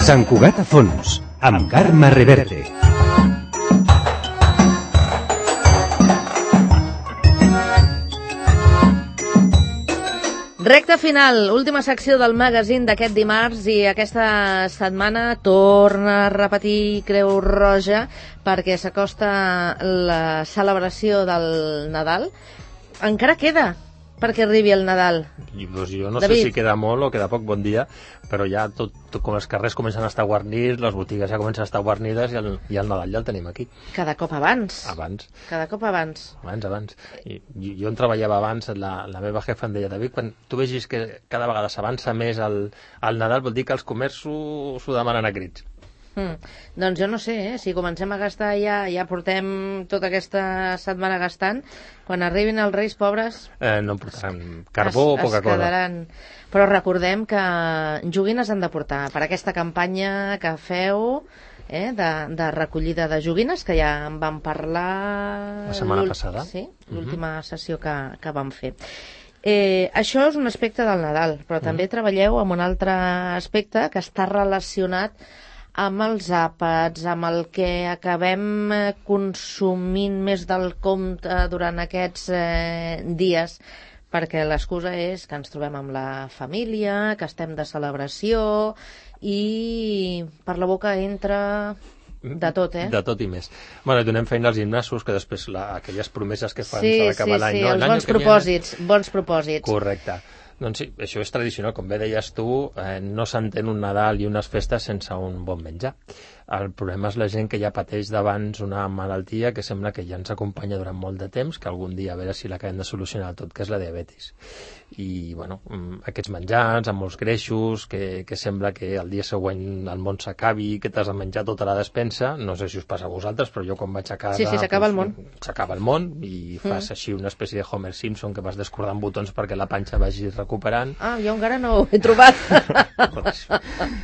Sant Cugat a fons, amb Carme Reverte. Recta final, última secció del magazín d'aquest dimarts i aquesta setmana torna a repetir Creu Roja perquè s'acosta la celebració del Nadal. Encara queda perquè arribi el Nadal. Jo no David. sé si queda molt o queda poc, bon dia, però ja tot com els carrers comencen a estar guarnits, les botigues ja comencen a estar guarnides i el Nadal ja el tenim aquí. Cada cop abans. Cada cop abans. Abans. I jo on treballava abans, la meva jefa em deia, David, quan tu vegis que cada vegada s'avança més el Nadal, vol dir que els comerços s'ho demanen a crits. Doncs jo no sé, si comencem a gastar ja portem tota aquesta setmana gastant, quan arribin els Reis pobres no portaran carbó o poca cosa. Però recordem que joguines han de portar per aquesta campanya que feu de recollida de joguines, que ja en vam parlar la setmana passada. Sí, l'última sessió que vam fer. Això és un aspecte del Nadal, però també treballeu amb un altre aspecte que està relacionat amb els àpats, amb el que acabem consumint més del compte durant aquests dies, perquè l'excusa és que ens trobem amb la família, que estem de celebració i per la boca entra de tot, De tot i més. Bueno, donem feina als gimnasos, que després aquelles promeses que fan s'ha d'acabar l'any. Sí, els bons propòsits. Correcte. Doncs sí, això és tradicional, com bé deies tu, no s'entén un Nadal i unes festes sense un bon menjar. El problema és la gent que ja pateix d'abans una malaltia que sembla que ja ens acompanya durant molt de temps, que algun dia a veure si l'acabem de solucionar tot, que és la diabetis. I, bueno, aquests menjars amb molts greixos, que sembla que el dia següent el món s'acabi, que t'has de menjar tota la despensa, no sé si us passa a vosaltres, però jo quan vaig a casa... Sí, s'acaba el món. S'acaba el món i fas així una espècie de Homer Simpson que vas descordant botons perquè la panxa vagi recuperant. Ah, jo encara no ho he trobat.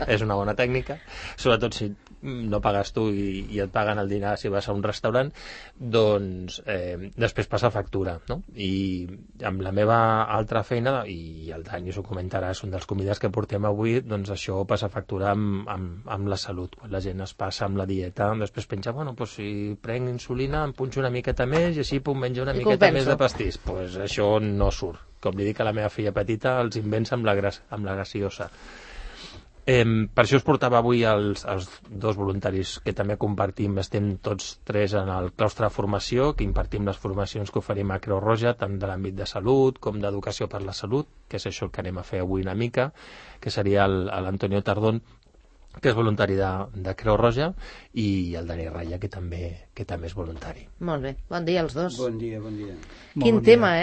És una bona tècnica, sobretot si no pagues tu i et paguen el dinar si vas a un restaurant, doncs després passa factura, no? I amb la meva altra feina, i el Dani s'ho comentarà, és un dels convidats que portem avui, doncs això passa factura amb la salut. Quan la gent es passa amb la dieta, després penja, bueno, doncs si prenc insulina em punxo una miqueta més i així puc menjar una miqueta més de pastís. Doncs això no surt. Com li dic a la meva filla petita, els invents amb la gaseosa. Per això us portava avui els dos voluntaris que també compartim, estem tots tres en el claustre de formació, que impartim les formacions que oferim a Creu Roja, tant de l'àmbit de salut com d'educació per la salut, que és això el que anem a fer avui una mica, que seria l'Antonio Tardón, que és voluntari de Creu Roja, i el Dani Raya, que també és voluntari. Molt bé, bon dia als dos. Bon dia. Quin tema,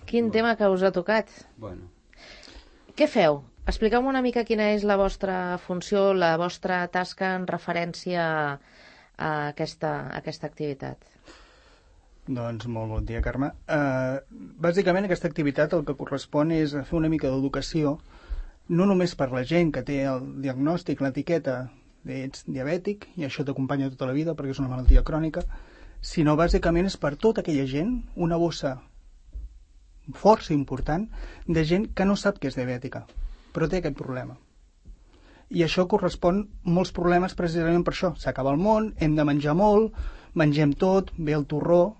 Quin tema que us ha tocat. Bueno. Què feu? Expliqueu-me una mica quina és la vostra funció, la vostra tasca en referència a aquesta activitat. Doncs molt bon dia, Carme. Bàsicament aquesta activitat el que correspon és fer una mica d'educació, no només per la gent que té el diagnòstic, l'etiqueta d'ets diabètic, i això t'acompanya tota la vida perquè és una malaltia crònica, sinó bàsicament és per tota aquella gent, una bossa força important de gent que no sap que és diabètica, però té aquest problema. I això correspon molts problemes precisament per això. S'acaba el món, hem de menjar molt, mengem tot, ve el torró,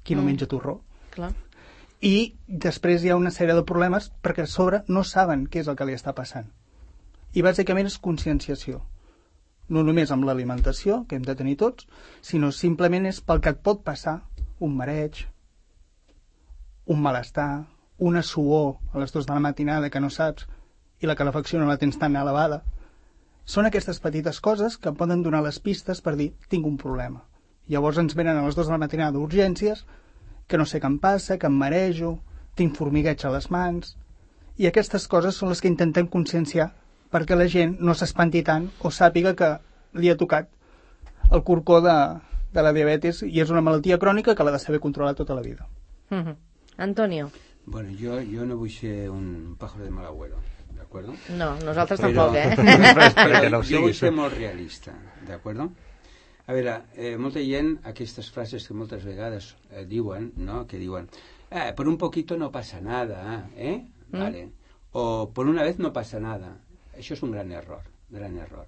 qui no menja torró? Clar. I després hi ha una sèrie de problemes perquè a sobre no saben què és el que li està passant. I bàsicament és conscienciació. No només amb l'alimentació, que hem de tenir tots, sinó simplement és pel que et pot passar un mareig, un malestar, una suor a les 2 de la matinada que no saps i la calefacció no la tens tan elevada. Són aquestes petites coses que poden donar les pistes per dir, tinc un problema. Llavors ens venen a les 2 de la matinada d'urgències, que no sé què em passa, que em marejo, tinc formigueig a les mans, i aquestes coses són les que intentem conscienciar perquè la gent no s'espanti tant o sàpiga que li ha tocat el corcó de la diabetis i és una malaltia crònica que l'ha de saber controlar tota la vida. Antonio. Bueno, yo no vull ser un pájaro de mal agüero, ¿de acuerdo? No, nosaltres tampoc, Però jo vull ser molt realista, ¿de acuerdo? A veure, molta gent, aquestes frases que moltes vegades diuen, no?, que diuen, por un poquito no pasa nada, Vale. O por una vez no pasa nada. Això és un gran error, gran error.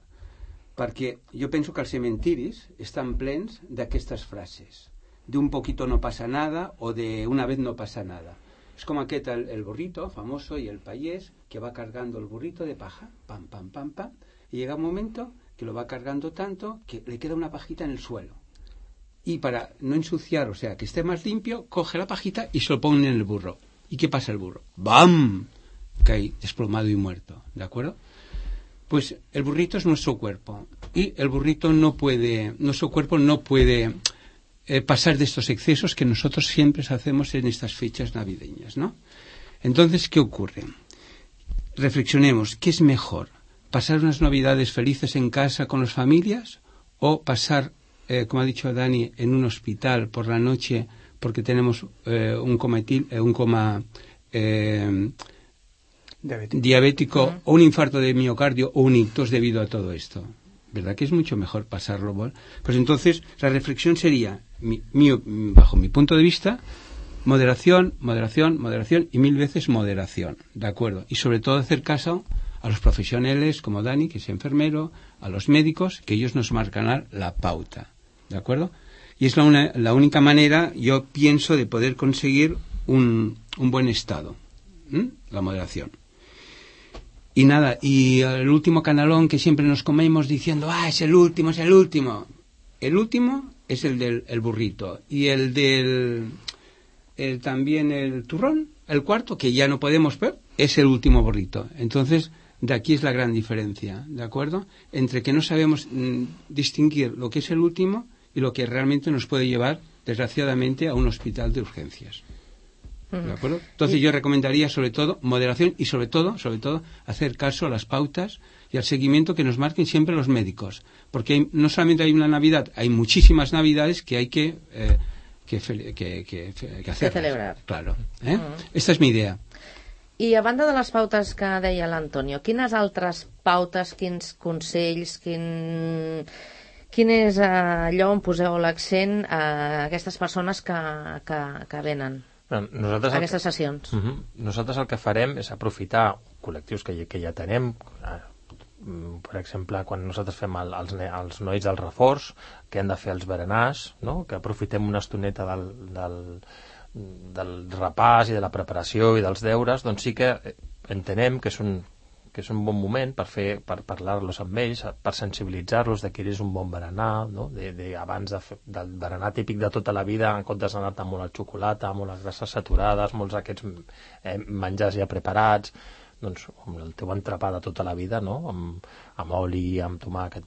perquè jo penso que els cementiris estan plens d'aquestes frases, de un poquito no pasa nada o de una vez no pasa nada. Es como el burrito famoso y el payés que va cargando el burrito de paja, pam, pam, pam, pam, y llega un momento que lo va cargando tanto que le queda una pajita en el suelo. Y para no ensuciar, o sea, que esté más limpio, coge la pajita y se lo pone en el burro. ¿Y qué pasa el burro? ¡Bam! Cae desplomado y muerto, ¿de acuerdo? Pues el burrito es nuestro cuerpo y el burrito nuestro cuerpo no puede pasar de estos excesos que nosotros siempre hacemos en estas fechas navideñas, ¿no? Entonces, ¿qué ocurre? Reflexionemos, ¿qué es mejor? ¿Pasar unas navidades felices en casa con las familias o pasar, como ha dicho Dani, en un hospital por la noche porque tenemos un coma diabético o un infarto de miocardio o un ictus debido a todo esto? ¿Verdad que es mucho mejor pasarlo? Pues entonces la reflexión sería, bajo mi punto de vista, moderación, moderación, moderación y 1000 veces moderación, ¿de acuerdo? Y sobre todo hacer caso a los profesionales como Dani, que es enfermero, a los médicos, que ellos nos marcarán la pauta, ¿de acuerdo? Y es la única manera, yo pienso, de poder conseguir un buen estado, la moderación. Y nada, y el último canalón que siempre nos comemos diciendo, es el último, es el último. El último es el del burrito. Y el también el turrón, el cuarto, que ya no podemos ver, es el último burrito. Entonces, de aquí es la gran diferencia, ¿de acuerdo? Entre que no sabemos distinguir lo que es el último y lo que realmente nos puede llevar, desgraciadamente, a un hospital de urgencias. ¿De acuerdo? Entonces yo recomendaría sobre todo moderación y sobre todo hacer caso a las pautas y al seguimiento que nos marquen siempre los médicos, porque no solamente hay una Navidad, hay muchísimas Navidades que hay que hacer, que celebrar. Claro, Esta és mi idea. I a banda de les pautes que deia l'Antonio, quines altres pautes, quins consells, quin és allò on poseu l'accent a aquestes persones que venen a aquestes sessions? Nosaltres el que farem és aprofitar col·lectius que ja tenem, per exemple, quan nosaltres fem els nois del reforç, que han de fer els berenars, no? Que aprofitem una estoneta del repàs i de la preparació i dels deures, doncs sí que entenem que és un bon moment per parlar-los amb ells, per sensibilitzar-los de que és un bon berenar, no? Abans del berenar típic de tota la vida, en comptes d'anar-te molt al xocolata, molt les grasses saturades, molts d'aquests menjars ja preparats, doncs amb el teu entrepà de tota la vida, no? Amb oli, amb tomàquet.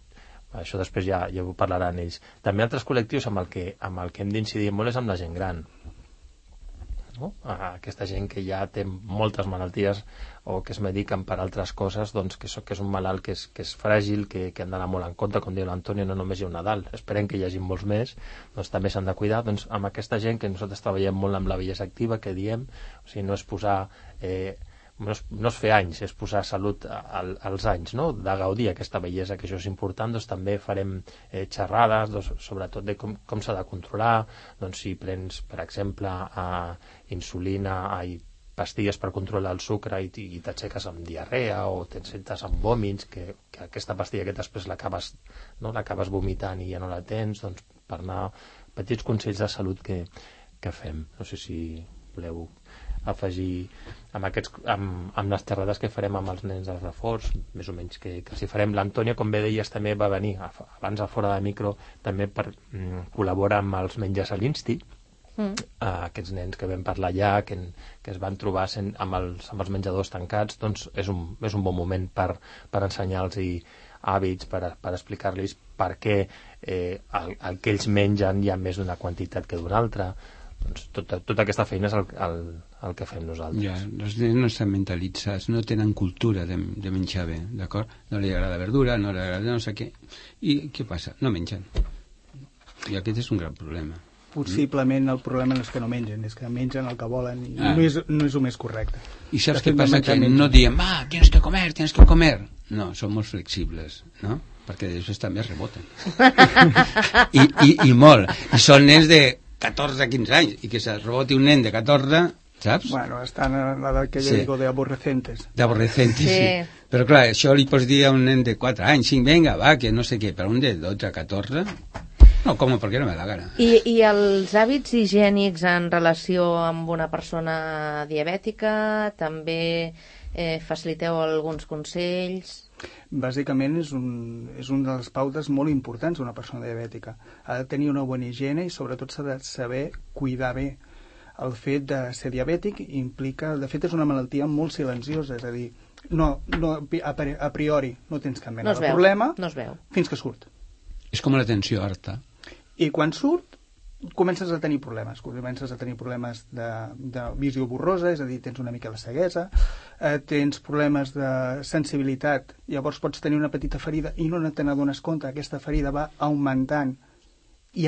Això després ja ho parlaran ells. També altres col·lectius amb el que hem d'incidir molt és amb la gent gran, no? Aquesta gent que ja té moltes malalties o que es mediquen per altres coses, doncs que és un malalt que és fràgil, que han d'anar molt en compte, com diu l'Antonio, no només hi ha un Nadal, esperem que hi hagi molts més, doncs també s'han de cuidar. Doncs amb aquesta gent que nosaltres treballem molt amb la bellesa activa, que diem, o sigui, no és posar no és fer anys, és posar salut als anys, no? De gaudir aquesta bellesa, que això és important. Doncs també farem xerrades, sobretot de com s'ha de controlar, doncs si prens, per exemple, insulina, pastilles per controlar el sucre i t'aixeques amb diarrea o te'n sentes amb vòmits, que aquesta pastilla que després l'acabes vomitant i ja no la tens, doncs per anar petits consells de salut que fem. No sé si voleu afegir amb les xerrades que farem amb els nens del reforç, més o menys que si farem. L'Antonio, com bé deies, també va venir abans a fora de micro, també col·labora amb els menjars a l'Insti, aquests nens que vam parlar allà, que es van trobar amb els menjadors tancats, doncs és un bon moment per ensenyar-los hàbits, per explicar-los per què el que ells mengen hi ha més d'una quantitat que d'una altra. Doncs tota aquesta feina és el que fem nosaltres. Ja, els nens no estan mentalitzats, no tenen cultura de menjar bé, d'acord? No li agrada verdura, no li agrada no sé què. I què passa? No mengen. I aquest és un gran problema. Possiblement el problema no és que no mengen, és que mengen el que volen i no és el més correcte. I saps què passa? Que no diem, tienes que comer. No, som molt flexibles, no? Perquè després també reboten. I molt. I són nens de 14 a 15 anys, i que se reboti un nen de 14 saps? Bueno, estan en la que jo digo de aborrecentes. D'aborrecentes, sí. Però clar, això li pots dir a un nen de 4 anys, 5, venga, va, que no sé què, però un de 12, 14... No, com, perquè no me la gana. I els hàbits higiènics en relació amb una persona diabètica, també faciliteu alguns consells? Bàsicament és una de les pautes molt importants d'una persona diabètica. Ha de tenir una bona higiene i sobretot s'ha de saber cuidar bé. El fet de ser diabètic implica... De fet, és una malaltia molt silenciosa, és a dir, a priori no tens cap mena de problema fins que surt. És com la tensió alta. I quan surt, comences a tenir problemes de visió borrosa, és a dir, tens una mica de ceguesa, tens problemes de sensibilitat, llavors pots tenir una petita ferida i no te n'adones compte, aquesta ferida va augmentant i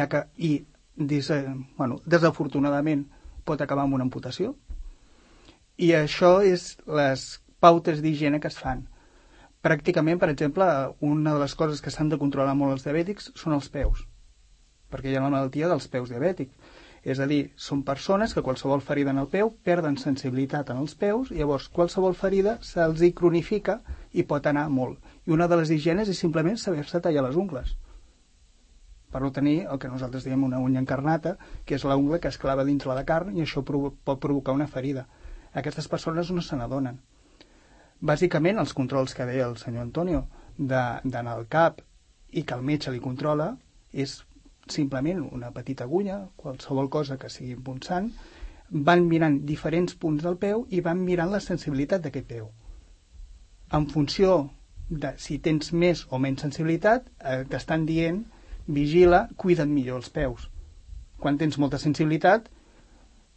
desafortunadament pot acabar amb una amputació. I això és les pautes d'higiene que es fan. Pràcticament, per exemple, una de les coses que s'han de controlar molt els diabètics són els peus, perquè hi ha la malaltia dels peus diabètics. És a dir, són persones que qualsevol ferida en el peu perden sensibilitat en els peus, i llavors qualsevol ferida se'ls hi cronifica i pot anar molt. I una de les higienes és simplement saber-se tallar les ungles, per no tenir el que nosaltres diem una unya encarnata, que és l'ungla que es clava dins la carn, i això pot provocar una ferida. Aquestes persones no se n'adonen. Bàsicament, els controls que deia el senyor Antonio d'anar al CAP i que el metge li controla és simplement una petita agulla, qualsevol cosa que sigui punxant, van mirant diferents punts del peu i van mirant la sensibilitat d'aquest peu. En funció de si tens més o menys sensibilitat, t'estan dient, vigila, cuida't millor els peus. Quan tens molta sensibilitat,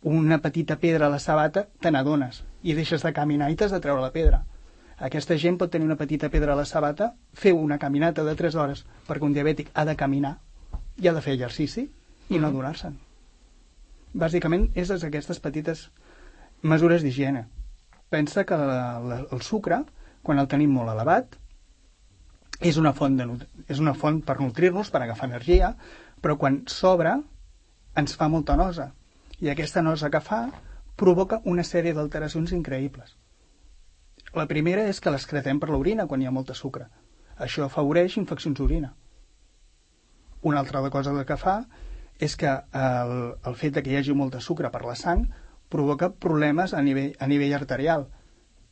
una petita pedra a la sabata te n'adones i deixes de caminar i t'has de treure la pedra. Aquesta gent pot tenir una petita pedra a la sabata, fer una caminata de 3 hores, perquè un diabètic ha de caminar i ha de fer exercici i no adonar-se'n. Bàsicament, és aquestes petites mesures d'higiene. Pensa que el sucre, quan el tenim molt elevat, és una font per nutrir-nos, per agafar energia, però quan sobra ens fa molta nosa. I aquesta nosa que fa provoca una sèrie d'alteracions increïbles. La primera és que l'excretem per l'orina quan hi ha molta sucre. Això afavoreix infeccions d'orina. Una altra cosa que fa és que el fet que hi hagi molta sucre per la sang provoca problemes a nivell arterial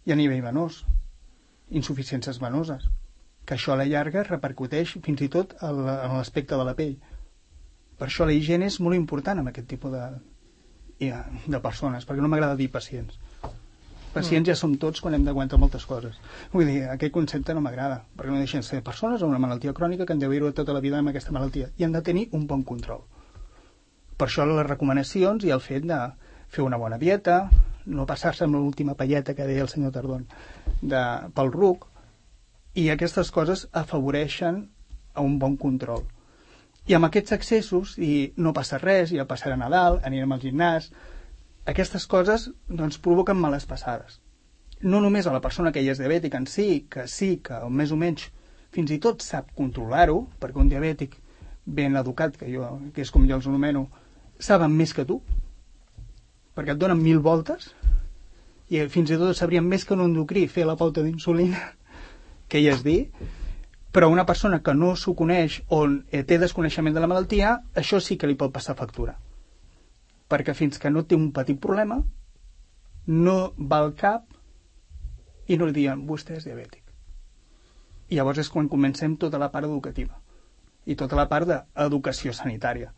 i a nivell venós, insuficiències venoses, que això a la llarga repercuteix fins i tot en l'aspecte de la pell. Per això la higiene és molt important en aquest tipus de persones, perquè no m'agrada dir pacients. Pacients ja som tots quan hem d'aguantar moltes coses. Vull dir, aquest concepte no m'agrada, perquè no deixen ser persones amb una malaltia crònica que han de viure tota la vida amb aquesta malaltia i han de tenir un bon control. Per això les recomanacions i el fet de fer una bona dieta, no passar-se amb l'última palleta que deia el senyor Tardón pel ruc, i aquestes coses afavoreixen a un bon control. I amb aquests excessos, i no passa res, ja passarà Nadal, anirem al gimnàs, aquestes coses doncs, provoquen males passades. No només a la persona que ja és diabètica en si, que més o menys fins i tot sap controlar-ho, perquè un diabètic ben educat, que és com jo els anomeno, saben més que tu, perquè et donen 1000 voltes, i fins i tot sabrien més que un endocrí fer la pauta d'insulina, que ja és dir, però una persona que no s'ho coneix o té desconeixement de la malaltia, això sí que li pot passar factura. Perquè fins que no té un petit problema, no va al cap i no li diuen, vostè és diabètic. I llavors és quan comencem tota la part educativa i tota la part d'educació sanitària,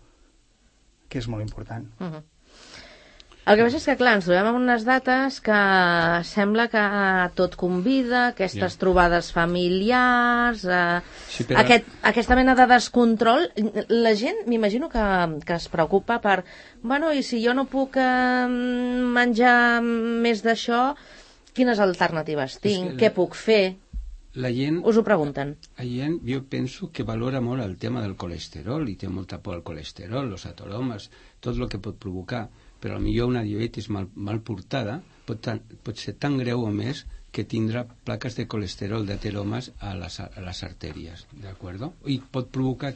que és molt important. El que passa és que, clar, ens trobem amb unes dates que sembla que tot convida, aquestes trobades familiars, aquesta mena de descontrol. La gent, m'imagino que es preocupa per, bueno, i si jo no puc menjar més d'això, quines alternatives tinc? Què puc fer? La gent, us ho pregunten. La gent, jo penso que valora molt el tema del colesterol i té molta por al colesterol, els ateromes, tot el que pot provocar. Però potser una diabetis mal portada pot ser tan greu o més que tindrà plaques de colesterol d'ateromes a les artèries, d'acord? I pot provocar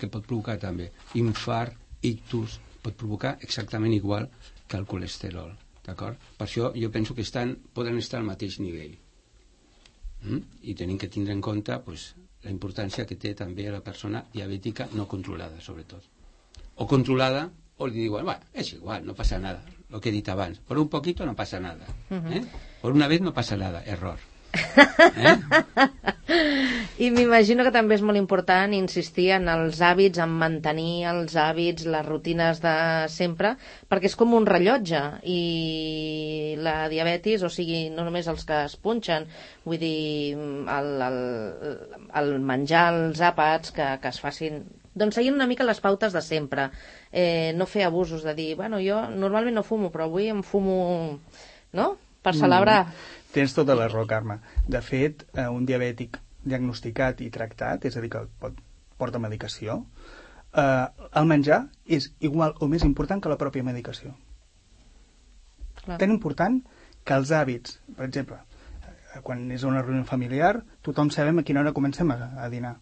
també infart, ictus, pot provocar exactament igual que el colesterol, d'acord? Per això jo penso que poden estar al mateix nivell. I tenim que tindre en compte pues, la importància que té també la persona diabètica no controlada, sobretot. O controlada, o li diuen, bueno, és igual, no passa nada, lo que he dit abans, por un poquito no pasa nada, por una vez no pasa nada, error. I m'imagino que també és molt important insistir en els hàbits, en mantenir els hàbits, les rutines de sempre, perquè és com un rellotge i la diabetis, o sigui, no només els que es punxen, vull dir, el menjar els àpats que es facin, doncs seguint una mica les pautes de sempre, no fer abusos de dir, bueno, jo normalment no fumo, però avui em fumo, no?, per celebrar. Tens tota la raó, Carme. De fet, un diabètic diagnosticat i tractat, és a dir, que porta medicació, el menjar és igual o més important que la pròpia medicació. Clar. Tan important que els hàbits, per exemple, quan és una reunió familiar, tothom sabem a quina hora comencem a dinar.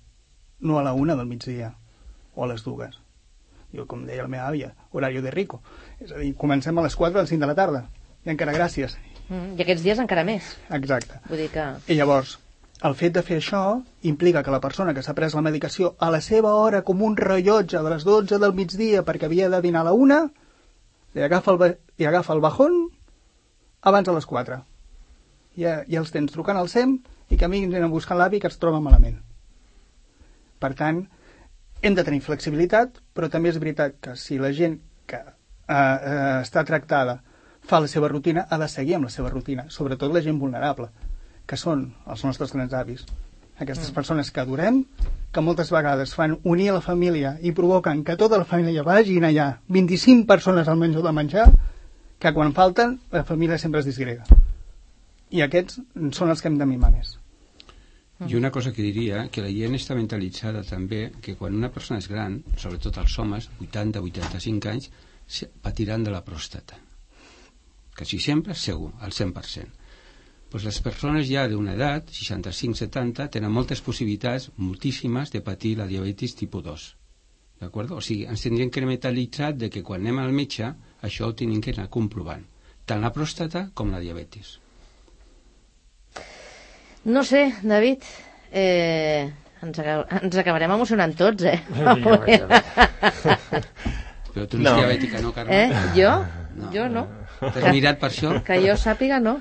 No a la 1 del migdia o a les 2. Jo, com deia la meva àvia, horario de rico. És a dir, comencem a les 4 o a les 5 de la tarda. I encara gràcies. I aquests dies encara més. Exacte. Vull dir que... I llavors, el fet de fer això implica que la persona que s'ha pres la medicació a la seva hora, com un rellotge de les 12 del migdia perquè havia de dinar a la 1, li agafa el bajón abans de les 4. Ja els tens trucant al SEM i que a mi anem buscant l'avi que es troba malament. Per tant, hem de tenir flexibilitat, però també és veritat que si la gent que està tractada fa la seva rutina, ha de seguir amb la seva rutina, sobretot la gent vulnerable, que són els nostres grans avis. Aquestes persones que adorem, que moltes vegades fan unir la família i provoquen que tota la família vagin allà, 25 persones al menjador de menjar, que quan falten, la família sempre es disgrega. I aquests són els que hem de mimar més. I una cosa que diria, que la gent està mentalitzada també, que quan una persona és gran, sobretot els homes, 80-85 anys, patiran de la pròstata. Quasi sempre, segur, al 100%. Pues les persones ja d'una edat, 65-70, tenen moltes possibilitats, moltíssimes, de patir la diabetis tipus 2. D'acord? O sigui, ens tindrien que mentalitzar de que quan anem al metge, això ho tenim que anar comprovant. Tant la pròstata com la diabetis. No sé, David, ens acabarem emocionant tots, Però tu no ets diabètica, no, Carme? Jo? Jo no. T'has mirat per això? Que jo sàpiga, no.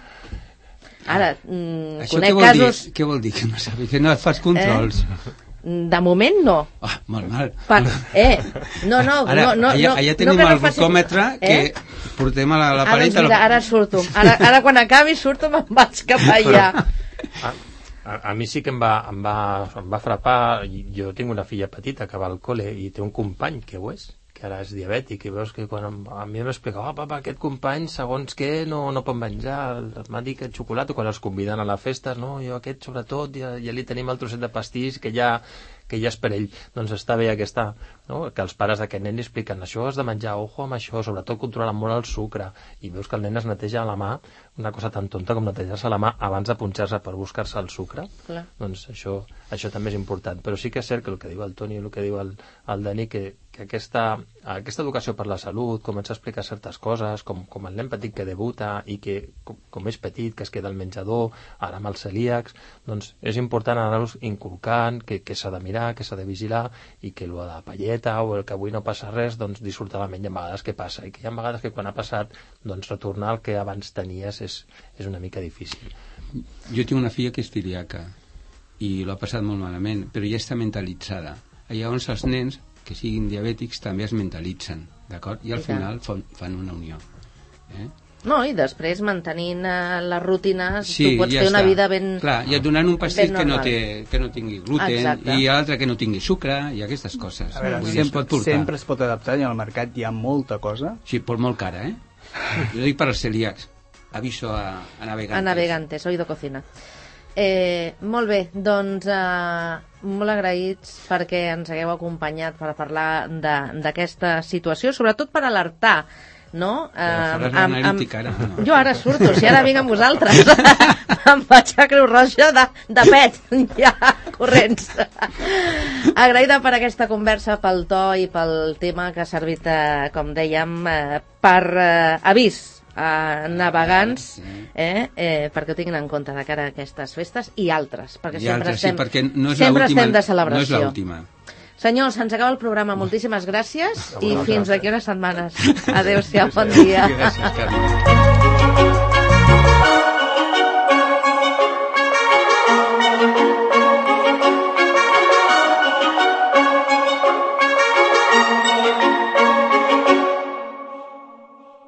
Ara, conec casos... Què vol dir que no sàpiga? Que no et fas controls? De moment no. Molt mal. No. Allà tenim el glucòmetre que portem a la paret... Ara surto. Ara quan acabi surto me'n vaig cap allà. A mi sí que em va frapar. Jo tinc una filla petita que va al col·le i té un company que ho és, que ara és diabètic, i veus que quan a mi m'explica, papa, aquest company segons què no pot menjar, m'ha dit que xocolata, quan els conviden a les festes, no, jo aquest sobretot ja li tenim el trosset de pastís que ja és per ell. Doncs està bé aquesta, no? Que els pares d'aquest nen li expliquen, això has de menjar, ojo amb això, sobretot controlar molt el sucre, i veus que el nen es neteja la mà, una cosa tan tonta com netejar-se la mà abans de punxar-se per buscar-se el sucre. Clar. Doncs això també és important. Però sí que és cert que el que diu el Toni, el que diu el Dani, que aquesta educació per la salut, començar a explicar certes coses, com el nen petit que debuta i que com és petit, que es queda al menjador, ara amb els celíacs, doncs és important anar-los inculcant que s'ha de mirar, que s'ha de vigilar, i que el de la palleta o el que avui no passa res, doncs dissortadament hi ha vegades que passa, i que hi ha vegades que quan ha passat, doncs retornar al que abans tenies és una mica difícil. Jo tinc una filla que és celíaca i l'ha passat molt malament, però ja està mentalitzada. Llavors els nens que siguin diabètics també es mentalitzen, d'acord? I al final fan una unió. No, i després mantenint les rutines tu pots fer una vida ben... Clar, i et donant un pastís que no tingui gluten, i l'altre que no tingui sucre, i aquestes coses. A veure, sempre es pot adaptar, i al mercat hi ha molta cosa. Sí, però molt cara, Jo dic per als celíacs. Aviso a navegantes. A navegantes, oído cocina. Molt bé, doncs molt agraïts perquè ens hagueu acompanyat per parlar d'aquesta situació, sobretot per alertar, no? Jo ara surto, si ara vinc amb vosaltres em vaig a Creu Roja de pet, ja, corrents. Agraïda per aquesta conversa, pel to i pel tema que ha servit, com dèiem, per avís navegants, perquè ho tinguin en compte de cara a aquestes festes i altres, perquè sempre estem de celebració. No és l'última. Senyors, se'ns acaba el programa. Moltíssimes gràcies i fins d'aquí unes setmanes. Adéu-siau, bon dia. Gràcies, Carme.